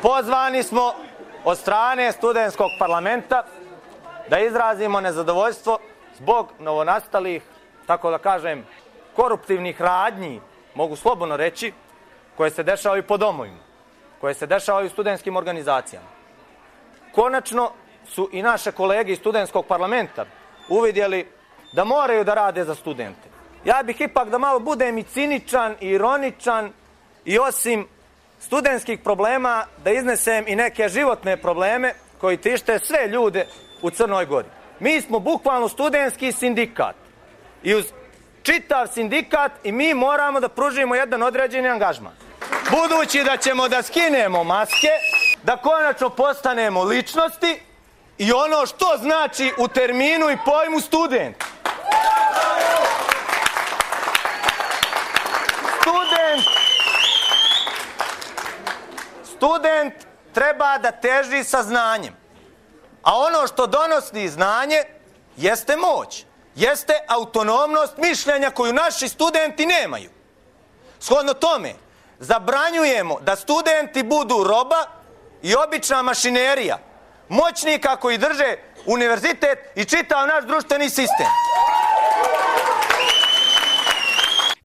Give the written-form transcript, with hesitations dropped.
Pozvani smo od strane studentskog parlamenta da izrazimo nezadovoljstvo zbog novonastalih, tako da kažem, koruptivnih radnji, mogu slobodno reći, koje se dešavaju po domovima, koje se dešavaju u studentskim organizacijama. Konačno su i naše kolege iz studentskog parlamenta uvidjeli da moraju da rade za studente. Ja bih ipak da malo budem i ciničan i ironičan i osim studentskih problema da iznesem i neke životne probleme koji tište sve ljude u Crnoj Gori. Mi smo bukvalno studentski sindikat i uz čitav sindikat i mi moramo da pružimo jedan određeni angažman. Budući da ćemo da skinemo maske, da konačno postanemo ličnosti i ono što znači u terminu i pojmu student. Student treba da teži sa znanjem, a ono što donosi znanje jeste moć, jeste autonomnost mišljenja koju naši studenti nemaju. Shodno tome, zabranjujemo da studenti budu roba i obična mašinerija moćnika koji drže univerzitet i čitav naš društveni sistem.